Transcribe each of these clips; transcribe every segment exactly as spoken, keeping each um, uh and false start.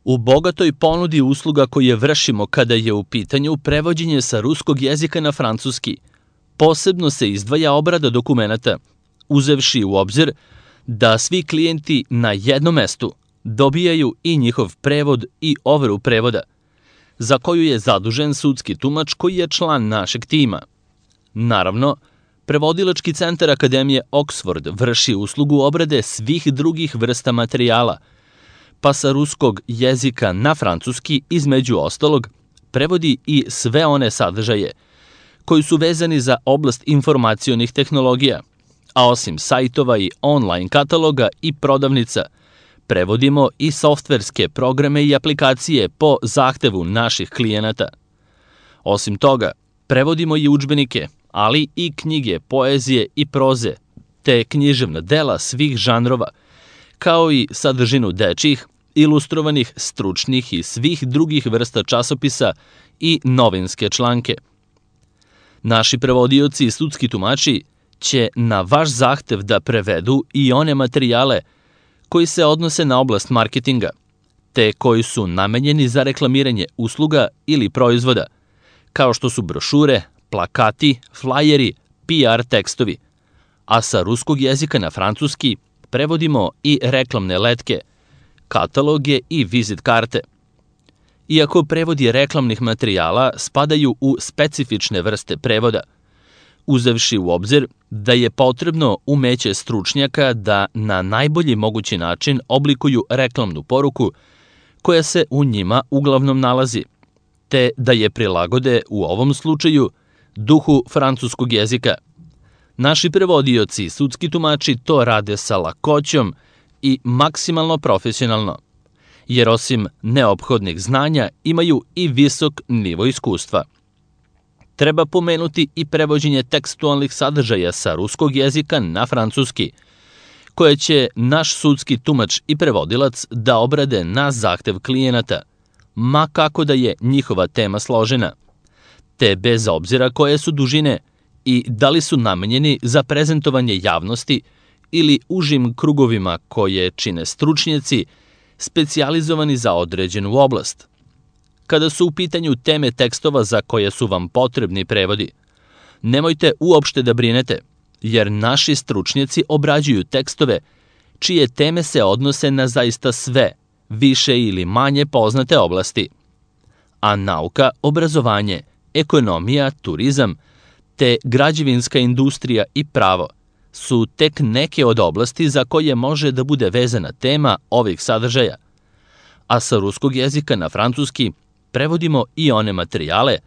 U bogatoj ponudi usluga koje vršimo kada je u pitanju prevođenje sa ruskog jezika na francuski, posebno se izdvaja obrada dokumenata, uzevši u obzir da svi klijenti na jednom mestu dobijaju i njihov prevod i overu prevoda, za koju je zadužen sudski tumač koji je član našeg tima. Naravno, Prevodilački centar Akademije Oxford vrši uslugu obrade svih drugih vrsta materijala, pa sa ruskog jezika na francuski, između ostalog, prevodi i sve one sadržaje koji su vezani za oblast informacionih tehnologija, a osim sajtova i online kataloga i prodavnica, prevodimo i softverske programe i aplikacije po zahtevu naših klijenata. Osim toga, prevodimo i udžbenike, ali i knjige, poezije i proze, te književna dela svih žanrova, kao i sadržinu dečjih, ilustrovanih, stručnih i svih drugih vrsta časopisa i novinske članke. Naši prevodioci i sudski tumači će na vaš zahtev da prevedu i one materijale koji se odnose na oblast marketinga, te koji su namenjeni za reklamiranje usluga ili proizvoda, kao što su brošure, plakati, flajeri, P R tekstovi, a sa ruskog jezika na francuski prevodimo i reklamne letke, kataloge i vizit karte. Iako prevodi reklamnih materijala spadaju u specifične vrste prevoda, uzevši u obzir da je potrebno umeće stručnjaka da na najbolji mogući način oblikuju reklamnu poruku koja se u njima uglavnom nalazi, te da je prilagode u ovom slučaju duhu francuskog jezika. Naši prevodioci i sudski tumači to rade sa lakoćom i maksimalno profesionalno, jer osim neophodnih znanja imaju i visok nivo iskustva. Treba pomenuti i prevođenje tekstualnih sadržaja sa ruskog jezika na francuski, koje će naš sudski tumač i prevodilac da obrade na zahtev klijenata, ma kako da je njihova tema složena, te bez obzira koje su dužine i da li su namenjeni za prezentovanje javnosti ili užim krugovima koje čine stručnjaci specijalizovani za određenu oblast. Kada su u pitanju teme tekstova za koje su vam potrebni prevodi, nemojte uopšte da brinete, jer naši stručnjaci obrađuju tekstove čije teme se odnose na zaista sve, više ili manje poznate oblasti. A nauka, obrazovanje, ekonomija, turizam, te građevinska industrija i pravo su tek neke od oblasti za koje može da bude vezana tema ovih sadržaja. A sa ruskog jezika na francuski prevodimo i one materijale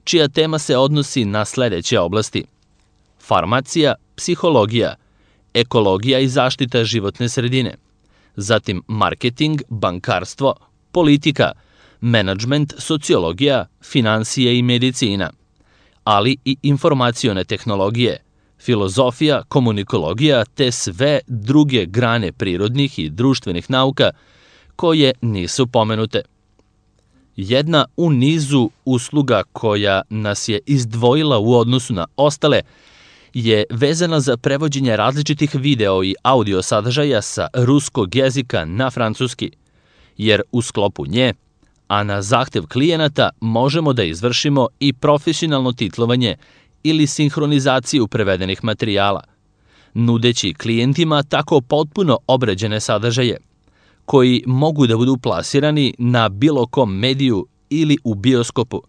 čija tema se odnosi na sledeće oblasti: farmacija, psihologija, ekologija i zaštita životne sredine, zatim marketing, bankarstvo, politika, menadžment, sociologija, finansije i medicina, ali i informacione tehnologije, filozofija, komunikologija te sve druge grane prirodnih i društvenih nauka koje nisu pomenute. Jedna u nizu usluga koja nas je izdvojila u odnosu na ostale je vezana za prevođenje različitih video i audio sadržaja sa ruskog jezika na francuski, jer u sklopu nje, a na zahtev klijenata, možemo da izvršimo i profesionalno titlovanje ili sinhronizaciju prevedenih materijala, nudeći klijentima tako potpuno obrađene sadržaje, koji mogu da budu plasirani na bilo kom mediju ili u bioskopu,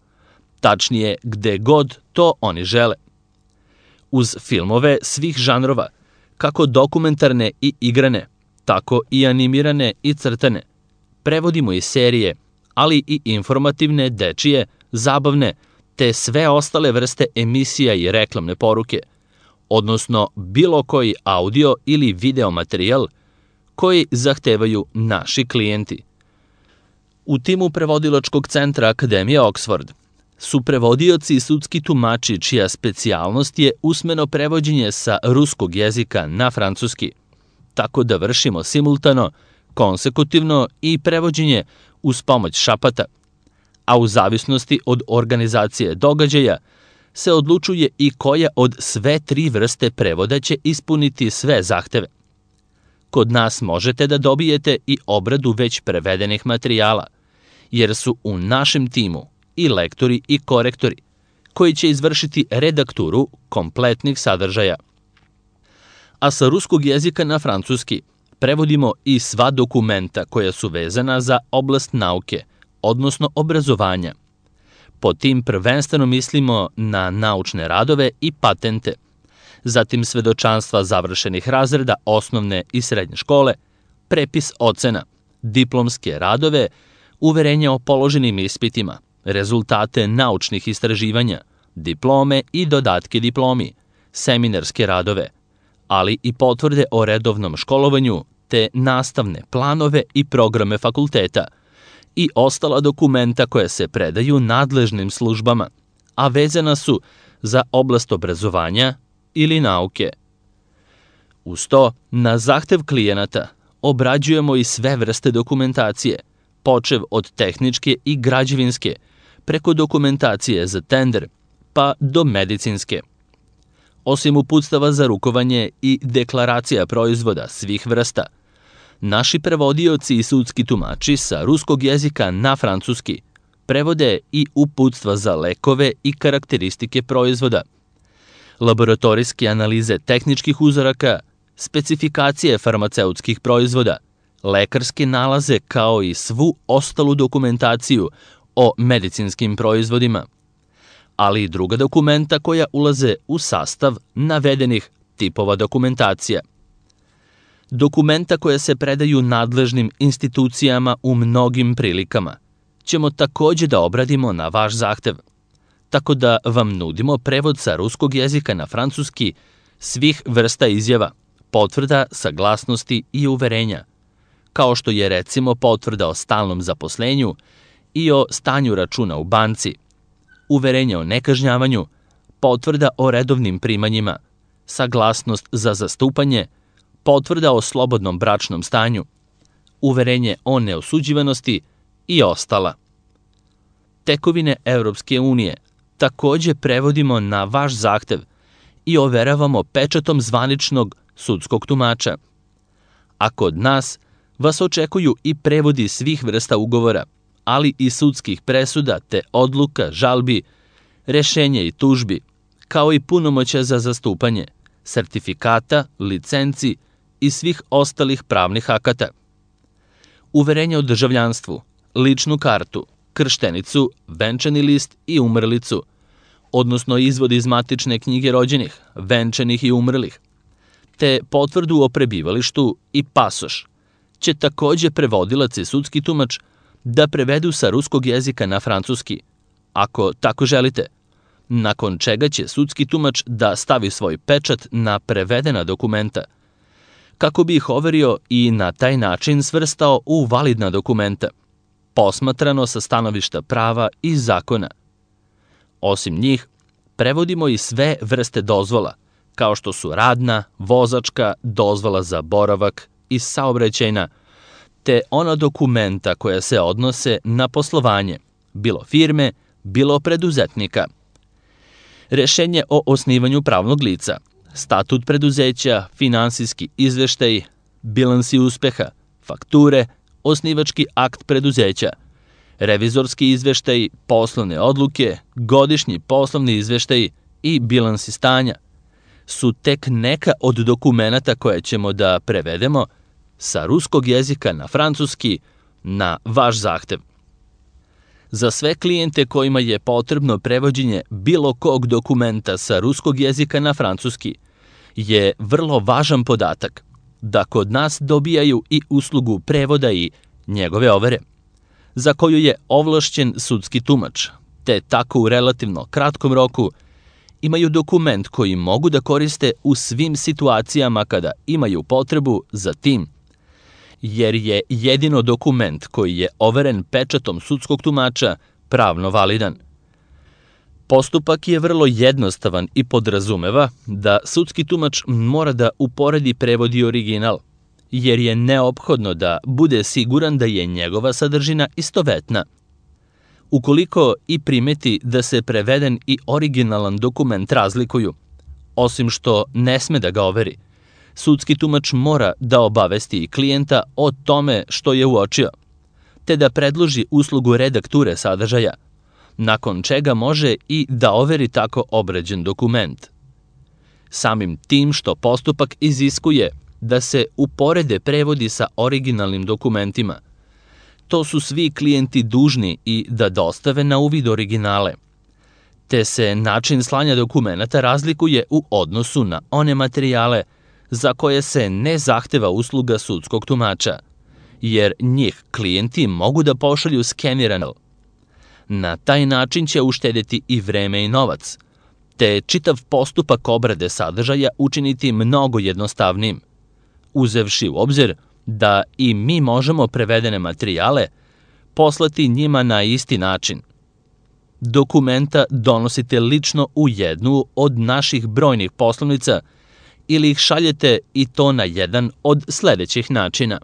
tačnije gde god to oni žele. Uz filmove svih žanrova, kako dokumentarne i igrane, tako i animirane i crtane, prevodimo i serije, ali i informativne, dečije, zabavne, te sve ostale vrste emisija i reklamne poruke, odnosno bilo koji audio ili video materijal koji zahtevaju naši klijenti. U timu Prevodilačkog centra Akademije Oxford su prevodioci i sudski tumači čija specijalnost je usmeno prevođenje sa ruskog jezika na francuski, tako da vršimo simultano, konsekutivno i prevođenje uz pomoć šapata, a u zavisnosti od organizacije događaja se odlučuje i koja od sve tri vrste prevoda će ispuniti sve zahteve. Kod nas možete da dobijete i obradu već prevedenih materijala, jer su u našem timu i lektori i korektori koji će izvršiti redakturu kompletnih sadržaja. A sa ruskog jezika na francuski prevodimo i sva dokumenta koja su vezana za oblast nauke, odnosno obrazovanja. Po tim prvenstveno mislimo na naučne radove i patente, zatim svedočanstva završenih razreda osnovne i srednje škole, prepis ocena, diplomske radove, uverenja o položenim ispitima, rezultate naučnih istraživanja, diplome i dodatke diplomi, seminarske radove, ali i potvrde o redovnom školovanju te nastavne planove i programe fakulteta i ostala dokumenta koja se predaju nadležnim službama, a vezana su za oblast obrazovanja ili nauke. Uz to, na zahtev klijenata obrađujemo i sve vrste dokumentacije, počev od tehničke i građevinske, preko dokumentacije za tender, pa do medicinske. Osim uputstava za rukovanje i deklaracija proizvoda svih vrsta, naši prevodioci i sudski tumači sa ruskog jezika na francuski prevode i uputstva za lekove i karakteristike proizvoda, laboratorijske analize tehničkih uzoraka, specifikacije farmaceutskih proizvoda, lekarske nalaze kao i svu ostalu dokumentaciju o medicinskim proizvodima, ali i druga dokumenta koja ulaze u sastav navedenih tipova dokumentacija. Dokumenta koja se predaju nadležnim institucijama u mnogim prilikama ćemo takođe da obradimo na vaš zahtev, tako da vam nudimo prevod sa ruskog jezika na francuski svih vrsta izjava, potvrda, saglasnosti i uverenja, kao što je recimo potvrda o stalnom zaposlenju i o stanju računa u banci, uverenje o nekažnjavanju, potvrda o redovnim primanjima, saglasnost za zastupanje, potvrda o slobodnom bračnom stanju, uverenje o neosuđivanosti i ostala. Tekovine Evropske unije takođe prevodimo na vaš zahtev i overavamo pečatom zvaničnog sudskog tumača. A kod nas vas očekuju i prevodi svih vrsta ugovora, ali i sudskih presuda te odluka, žalbi, rešenja i tužbi, kao i punomoćja za zastupanje, sertifikata, licenci i svih ostalih pravnih akata. Uverenje o državljanstvu, ličnu kartu, krštenicu, venčani list i umrlicu, odnosno izvod iz matične knjige rođenih, venčanih i umrlih, te potvrdu o prebivalištu i pasoš, će takođe prevodilac i sudski tumač da prevedu sa ruskog jezika na francuski, ako tako želite, nakon čega će sudski tumač da stavi svoj pečat na prevedena dokumenta, kako bi ih overio i na taj način svrstao u validna dokumenta, posmatrano sa stanovišta prava i zakona. Osim njih, prevodimo i sve vrste dozvola, kao što su radna, vozačka, dozvola za boravak i saobraćajna, te ona dokumenta koja se odnose na poslovanje, bilo firme, bilo preduzetnika. Rešenje o osnivanju pravnog lica, statut preduzeća, finansijski izveštaj, bilansi uspeha, fakture, osnivački akt preduzeća, revizorski izveštaj, poslovne odluke, godišnji poslovni izveštaj i bilansi stanja su tek neka od dokumenata koje ćemo da prevedemo sa ruskog jezika na francuski na vaš zahtev. Za sve klijente kojima je potrebno prevođenje bilo kog dokumenta sa ruskog jezika na francuski je vrlo važan podatak da kod nas dobijaju i uslugu prevoda i njegove overe, za koju je ovlašćen sudski tumač, te tako u relativno kratkom roku imaju dokument koji mogu da koriste u svim situacijama kada imaju potrebu za tim, jer je jedino dokument koji je overen pečatom sudskog tumača pravno validan. Postupak je vrlo jednostavan i podrazumeva da sudski tumač mora da uporedi prevod i original, jer je neophodno da bude siguran da je njegova sadržina istovetna. Ukoliko i primeti da se preveden i originalan dokument razlikuju, osim što ne sme da ga overi, sudski tumač mora da obavesti i klijenta o tome što je uočio, te da predloži uslugu redakture sadržaja, nakon čega može i da overi tako obrađen dokument. Samim tim što postupak iziskuje da se uporede prevodi sa originalnim dokumentima, to su svi klijenti dužni i da dostave na uvid originale, te se način slanja dokumenata razlikuje u odnosu na one materijale za koje se ne zahteva usluga sudskog tumača, jer njih klijenti mogu da pošalju skenirano. Na taj način će uštedeti i vreme i novac, te čitav postupak obrade sadržaja učiniti mnogo jednostavnijim, uzevši u obzir da i mi možemo prevedene materijale poslati njima na isti način. Dokumenta donosite lično u jednu od naših brojnih poslovnica ili ih šaljete i to na jedan od sledećih načina: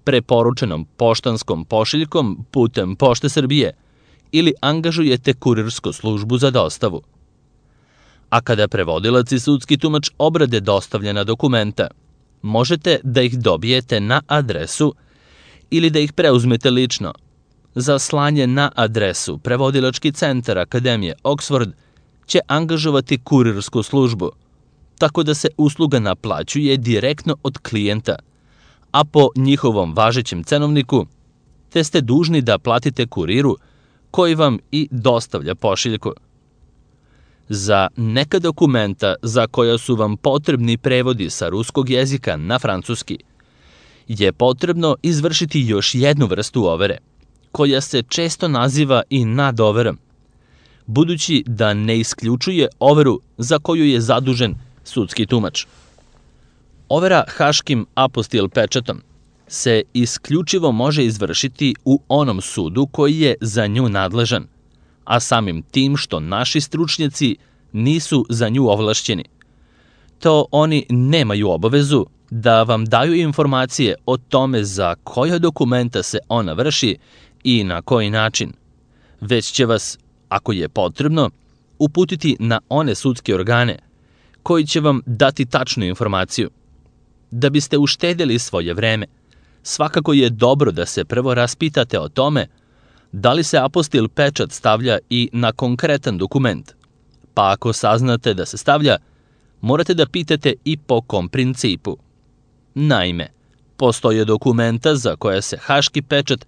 preporučenom poštanskom pošiljkom putem Pošte Srbije ili angažujete kurirsku službu za dostavu. A kada prevodilac i sudski tumač obrade dostavljena dokumenta, možete da ih dobijete na adresu ili da ih preuzmete lično. Za slanje na adresu Prevodilački centar Akademije Oxford će angažovati kurirsku službu, tako da se usluga naplaćuje direktno od klijenta, a po njihovom važećem cenovniku, te ste dužni da platite kuriru koji vam i dostavlja pošiljku. Za neka dokumenta za koja su vam potrebni prevodi sa ruskog jezika na francuski je potrebno izvršiti još jednu vrstu overe, koja se često naziva i nadoverom, budući da ne isključuje overu za koju je zadužen sudski tumač. Overa haškim apostil pečatom se isključivo može izvršiti u onom sudu koji je za nju nadležan, a samim tim što naši stručnjaci nisu za nju ovlašćeni, to oni nemaju obavezu da vam daju informacije o tome za koja dokumenta se ona vrši i na koji način, već će vas, ako je potrebno, uputiti na one sudske organe koji će vam dati tačnu informaciju. Da biste uštedjeli svoje vreme, svakako je dobro da se prvo raspitate o tome da li se apostil pečat stavlja i na konkretan dokument, pa ako saznate da se stavlja, morate da pitate i po kom principu. Naime, postoje dokumenta za koja se haški pečat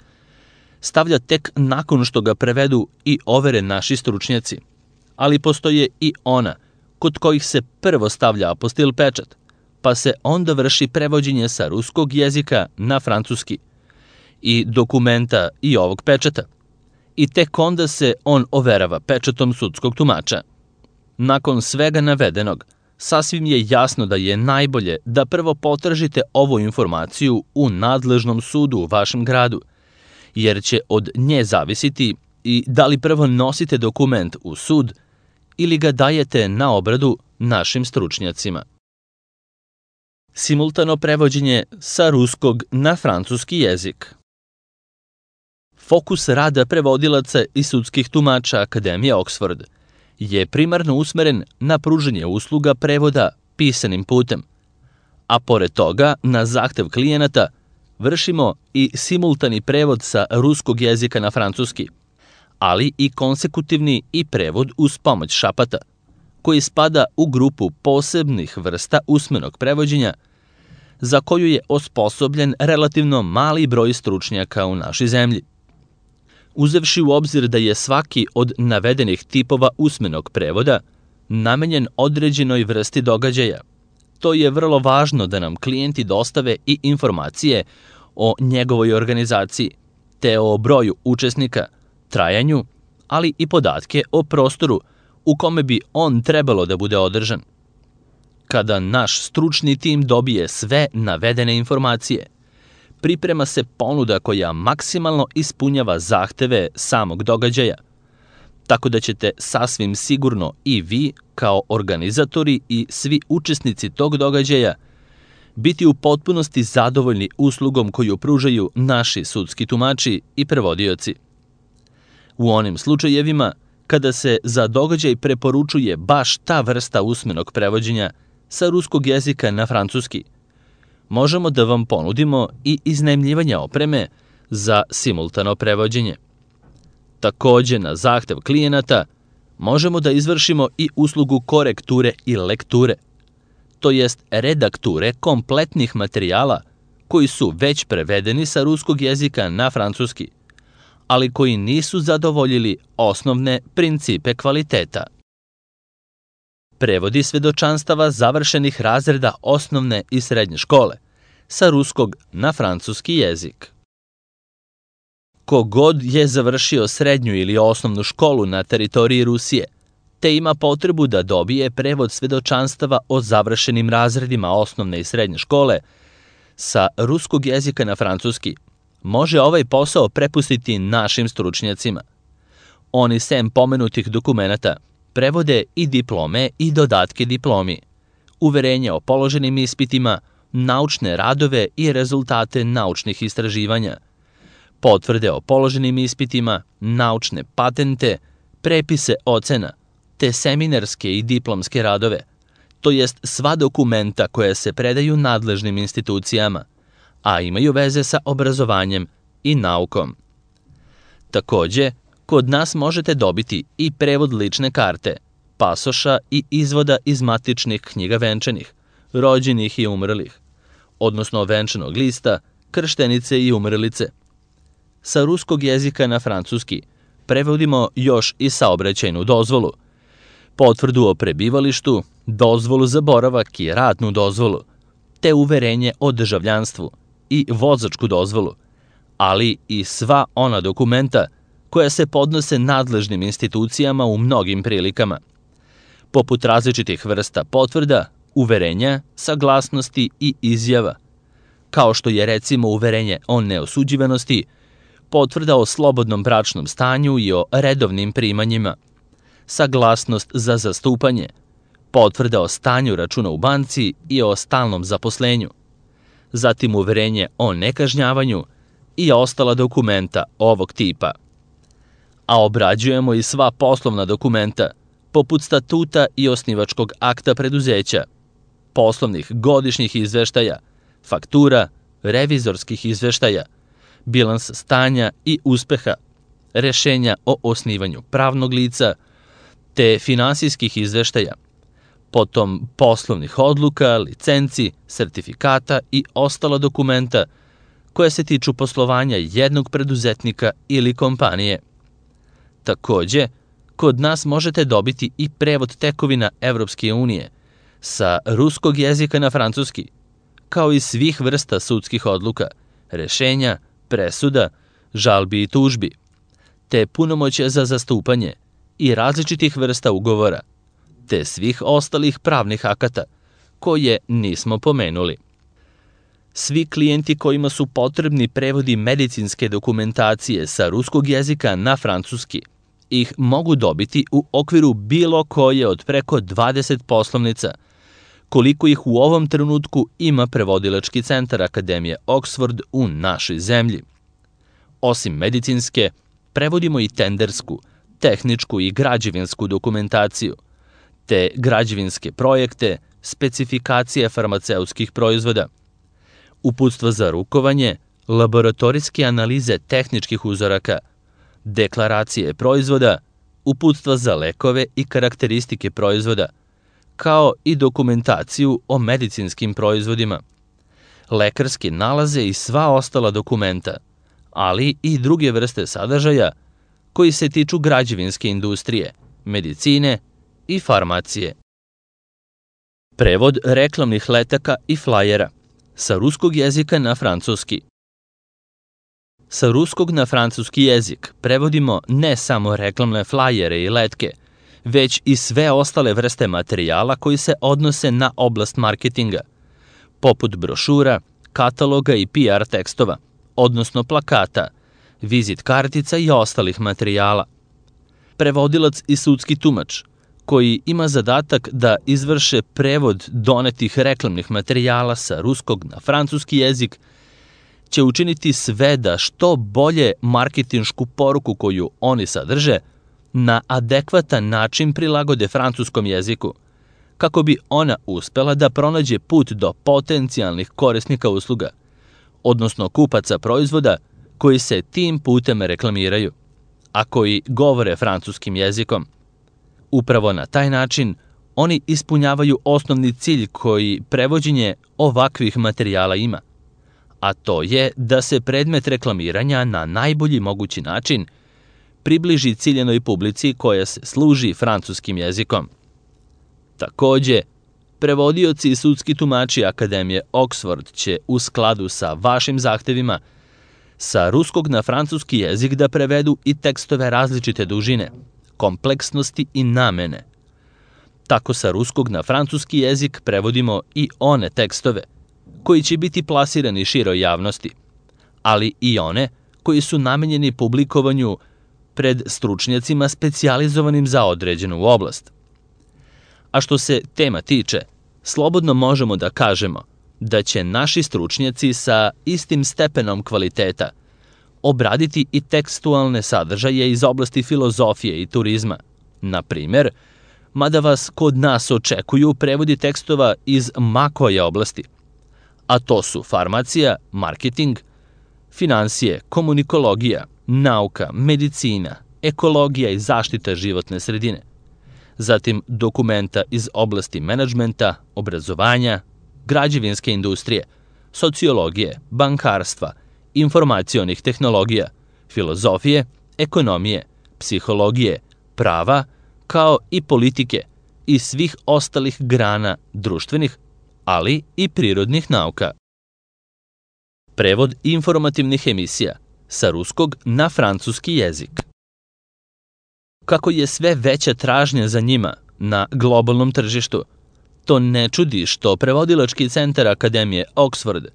stavlja tek nakon što ga prevedu i overe naši stručnjaci, ali postoje i ona kod kojih se prvo stavlja apostil pečat, pa se onda vrši prevođenje sa ruskog jezika na francuski i dokumenta i ovog pečata, i tek onda se on overava pečatom sudskog tumača. Nakon svega navedenog, sasvim je jasno da je najbolje da prvo potražite ovu informaciju u nadležnom sudu u vašem gradu, jer će od nje zavisiti i da li prvo nosite dokument u sud ili ga dajete na obradu našim stručnjacima. Simultano prevođenje sa ruskog na francuski jezik. Fokus rada prevodilaca i sudskih tumača Akademije Oxford je primarno usmeren na pružanje usluga prevoda pisanim putem, a pored toga, na zahtev klijenata, vršimo i simultani prevod sa ruskog jezika na francuski, ali i konsekutivni i prevod uz pomoć šapata, koji spada u grupu posebnih vrsta usmenog prevođenja, za koju je osposobljen relativno mali broj stručnjaka u našoj zemlji. Uzevši u obzir da je svaki od navedenih tipova usmenog prevoda namenjen određenoj vrsti događaja, to je vrlo važno da nam klijenti dostave i informacije o njegovoj organizaciji, te o broju učesnika, trajanju, ali i podatke o prostoru u kome bi on trebalo da bude održan. Kada naš stručni tim dobije sve navedene informacije, priprema se ponuda koja maksimalno ispunjava zahteve samog događaja, tako da ćete sasvim sigurno i vi, kao organizatori i svi učesnici tog događaja, biti u potpunosti zadovoljni uslugom koju pružaju naši sudski tumači i prevodioci. U onim slučajevima kada se za događaj preporučuje baš ta vrsta usmenog prevođenja sa ruskog jezika na francuski, možemo da vam ponudimo i iznajmljivanje opreme za simultano prevođenje. Takođe, na zahtev klijenata možemo da izvršimo i uslugu korekture i lekture, to jest redakture kompletnih materijala koji su već prevedeni sa ruskog jezika na francuski, ali koji nisu zadovoljili osnovne principe kvaliteta. Prevodi svedočanstava završenih razreda osnovne i srednje škole sa ruskog na francuski jezik. Kogod je završio srednju ili osnovnu školu na teritoriji Rusije, te ima potrebu da dobije prevod svedočanstava o završenim razredima osnovne i srednje škole sa ruskog jezika na francuski, može ovaj posao prepustiti našim stručnjacima. Oni sem pomenutih dokumenata prevode i diplome i dodatke diplomi, uverenje o položenim ispitima, naučne radove i rezultate naučnih istraživanja, potvrde o položenim ispitima, naučne patente, prepise ocena, te seminarske i diplomske radove, to jest sva dokumenta koja se predaju nadležnim institucijama, a imaju veze sa obrazovanjem i naukom. Takođe, kod nas možete dobiti i prevod lične karte, pasoša i izvoda iz matičnih knjiga venčanih, rođenih i umrlih, odnosno venčanog lista, krštenice i umrlice. Sa ruskog jezika na francuski prevodimo još i saobraćajnu dozvolu, potvrdu o prebivalištu, dozvolu za boravak i radnu dozvolu, te uverenje o državljanstvu i vozačku dozvolu, ali i sva ona dokumenta koja se podnose nadležnim institucijama u mnogim prilikama, poput različitih vrsta potvrda, uverenja, saglasnosti i izjava, kao što je recimo uverenje o neosuđivanosti, potvrda o slobodnom bračnom stanju i o redovnim primanjima, saglasnost za zastupanje, potvrda o stanju računa u banci i o stalnom zaposlenju, zatim uverenje o nekažnjavanju i ostala dokumenta ovog tipa. A obrađujemo i sva poslovna dokumenta, poput statuta i osnivačkog akta preduzeća, poslovnih godišnjih izveštaja, faktura, revizorskih izveštaja, bilans stanja i uspeha, rešenja o osnivanju pravnog lica, te finansijskih izveštaja, potom poslovnih odluka, licenci, sertifikata i ostala dokumenta koja se tiču poslovanja jednog preduzetnika ili kompanije. Takođe, kod nas možete dobiti i prevod tekovina Evropske unije sa ruskog jezika na francuski, kao i svih vrsta sudskih odluka, rešenja, presuda, žalbi i tužbi, te punomoćja za zastupanje i različitih vrsta ugovora, te svih ostalih pravnih akata koje nismo pomenuli. Svi klijenti kojima su potrebni prevodi medicinske dokumentacije sa ruskog jezika na francuski ih mogu dobiti u okviru bilo koje od preko dvadeset poslovnica, koliko ih u ovom trenutku ima prevodilački centar Akademije Oxford u našoj zemlji. Osim medicinske, prevodimo i tendersku, tehničku i građevinsku dokumentaciju, te građevinske projekte, specifikacije farmaceutskih proizvoda, uputstva za rukovanje, laboratorijske analize tehničkih uzoraka, deklaracije proizvoda, uputstva za lekove i karakteristike proizvoda, kao i dokumentaciju o medicinskim proizvodima, lekarske nalaze i sva ostala dokumenta, ali i druge vrste sadržaja koji se tiču građevinske industrije, medicine i farmacije. Prevod reklamnih letaka i flajera sa ruskog jezika na francuski. Sa ruskog na francuski jezik prevodimo ne samo reklamne flajere i letke, već i sve ostale vrste materijala koji se odnose na oblast marketinga, poput brošura, kataloga i P R tekstova, odnosno plakata, vizit kartica i ostalih materijala. Prevodilac i sudski tumač, koji ima zadatak da izvrše prevod donetih reklamnih materijala sa ruskog na francuski jezik, će učiniti sve da što bolje marketinšku poruku koju oni sadrže na adekvatan način prilagode francuskom jeziku, kako bi ona uspela da pronađe put do potencijalnih korisnika usluga, odnosno kupaca proizvoda koji se tim putem reklamiraju, a koji govore francuskim jezikom. Upravo na taj način oni ispunjavaju osnovni cilj koji prevođenje ovakvih materijala ima, a to je da se predmet reklamiranja na najbolji mogući način približi ciljenoj publici koja se služi francuskim jezikom. Takođe, prevodioci i sudski tumači Akademije Oxford će u skladu sa vašim zahtevima sa ruskog na francuski jezik da prevedu i tekstove različite dužine, kompleksnosti i namene. Tako sa ruskog na francuski jezik prevodimo i one tekstove koji će biti plasirani široj javnosti, ali i one koji su namenjeni publikovanju pred stručnjacima specijalizovanim za određenu oblast. A što se tema tiče, slobodno možemo da kažemo da će naši stručnjaci sa istim stepenom kvaliteta obraditi i tekstualne sadržaje iz oblasti filozofije i turizma. Na primer, mada vas kod nas očekuju prevodi tekstova iz ma koje oblasti, a to su farmacija, marketing, finansije, komunikologija, nauka, medicina, ekologija i zaštita životne sredine, zatim dokumenta iz oblasti menadžmenta, obrazovanja, građevinske industrije, sociologije, bankarstva, informacionih tehnologija, filozofije, ekonomije, psihologije, prava, kao i politike i svih ostalih grana društvenih, ali i prirodnih nauka. Prevod informativnih emisija sa ruskog na francuski jezik. Kako je sve veća tražnja za njima na globalnom tržištu, to ne čudi što prevodilački centar Akademije Oxford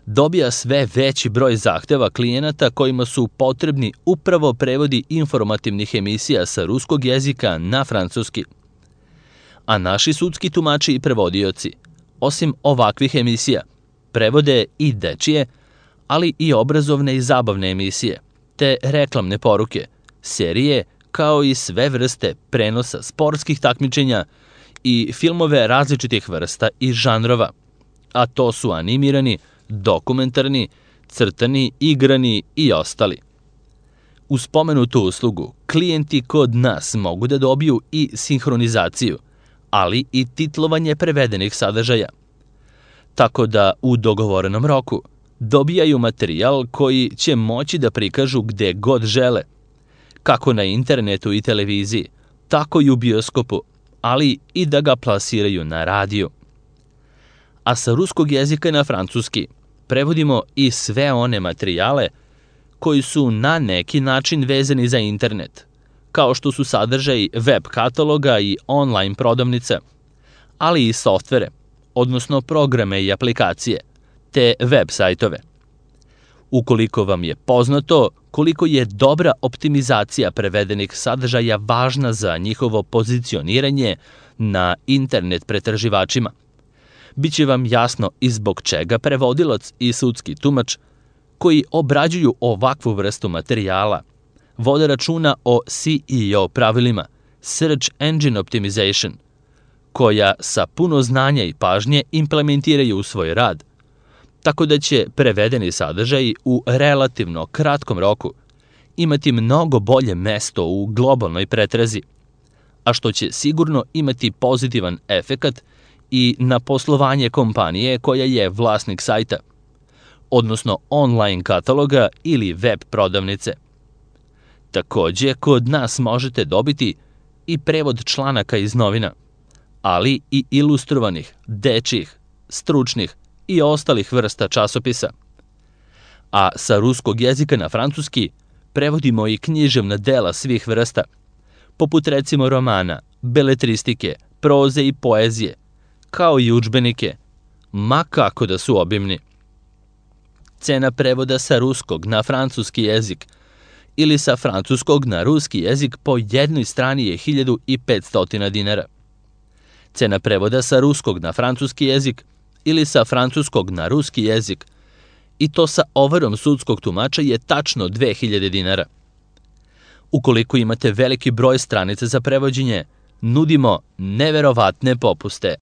dobija sve veći broj zahteva klijenata kojima su potrebni upravo prevodi informativnih emisija sa ruskog jezika na francuski. A naši sudski tumači i prevodioci, osim ovakvih emisija, prevode i dečije, ali i obrazovne i zabavne emisije, te reklamne poruke, serije, kao i sve vrste prenosa sportskih takmičenja i filmove različitih vrsta i žanrova, a to su animirani, dokumentarni, crtani, igrani i ostali. Uz spomenutu uslugu, klijenti kod nas mogu da dobiju i sinhronizaciju, ali i titlovanje prevedenih sadržaja. Tako da u dogovorenom roku dobijaju materijal koji će moći da prikažu gde god žele, kako na internetu i televiziji, tako i u bioskopu, ali i da ga plasiraju na radiju. A sa ruskog jezika na francuski prevodimo i sve one materijale koji su na neki način vezani za internet, kao što su sadržaji web kataloga i online prodavnica, ali i softvere, odnosno programe i aplikacije, te web sajtove. Ukoliko vam je poznato koliko je dobra optimizacija prevedenih sadržaja važna za njihovo pozicioniranje na internet pretraživačima, biće vam jasno i zbog čega prevodilac i sudski tumač koji obrađuju ovakvu vrstu materijala vode računa o S E O pravilima, Search Engine Optimization, koja sa puno znanja i pažnje implementiraju u svoj rad, tako da će prevedeni sadržaji u relativno kratkom roku imati mnogo bolje mesto u globalnoj pretrazi, a što će sigurno imati pozitivan efekat i na poslovanje kompanije koja je vlasnik sajta, odnosno online kataloga ili web prodavnice. Takođe, kod nas možete dobiti i prevod članaka iz novina, ali i ilustrovanih, dečjih, stručnih i ostalih vrsta časopisa. A sa ruskog jezika na francuski prevodimo i književna dela svih vrsta, poput recimo romana, beletristike, proze i poezije, kao i udžbenike, ma kako da su obimni. Cena prevoda sa ruskog na francuski jezik ili sa francuskog na ruski jezik po jednoj strani je hiljadu petsto dinara. Cena prevoda sa ruskog na francuski jezik ili sa francuskog na ruski jezik, i to sa overom sudskog tumača, je tačno dve hiljade dinara. Ukoliko imate veliki broj stranica za prevođenje, nudimo neverovatne popuste.